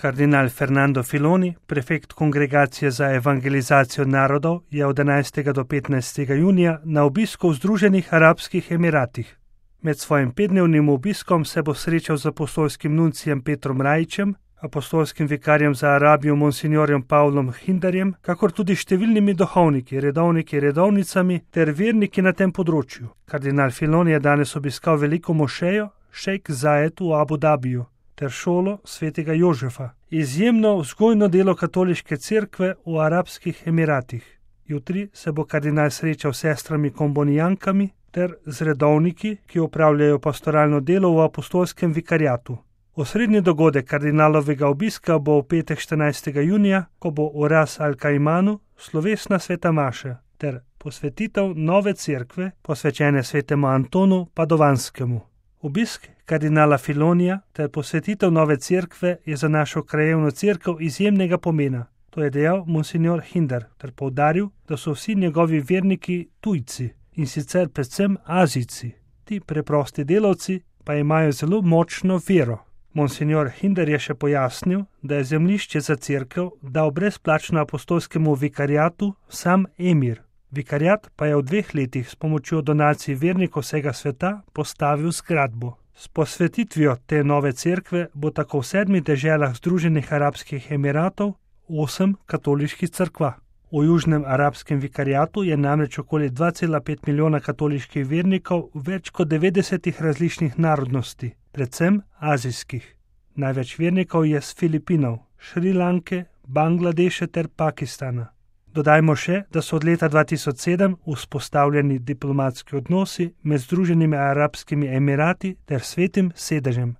Kardinal Fernando Filoni, prefekt Kongregacije za evangelizacijo narodov, je od 11. do 15. junija na obisku v Združenih arabskih emiratih. Med svojim 5-dnevnim obiskom se bo srečal z apostolskim nuncijem Petrom Rajićem, apostolskim vikarjem za Arabijo monsignorjem Pavlom Hindarjem, kakor tudi številnimi duhovniki, redovniki, redovnicami ter verniki na tem področju. Kardinal Filoni je danes obiskal veliko mošejo Šejk Zajed v Abu Dabiju ter šolo svetega Jožefa, izjemno vzgojno delo katoliške cerkve v Arabskih Emiratih. Jutri se bo kardinal srečal s sestrami kombonijankami ter z redovniki, ki opravljajo pastoralno delo v apostolskem vikariatu. Osrednji dogodek kardinalovega obiska bo v petek 14. junija, ko bo v Ras al-Kaimanu slovesna sveta maša ter posvetitev nove cerkve, posvečene svetemu Antonu Padovanskemu. Obisk kardinala Filonija ter posvetitev nove cerkve je za našo krajevno cerkev izjemnega pomena. To je dejal monsignor Hindar ter poudaril, da so vsi njegovi verniki tujci in sicer predvsem Azijci. Ti preprosti delavci pa imajo zelo močno vero. Monsignor Hindar je še pojasnil, da je zemljišče za cerkev dal brezplačno apostolskemu vikariatu sam emir. Vikariat pa je v 2 letih s pomočjo donacij vernikov vsega sveta postavil zgradbo. S posvetitvijo te nove cerkve bo tako v 7 deželah Združenih arabskih emiratov 8 katoliških cerkva. V Južnem arabskem vikariatu je namreč okoli 2,5 milijona katoliških vernikov več kot 90 različnih narodnosti, predvsem azijskih. Največ vernikov je z Filipinov, Šrilanke, Bangladeša ter Pakistana. Dodajmo še, da so od leta 2007 vzpostavljeni diplomatski odnosi med Združenimi arabskimi emirati ter Svetim sedežem.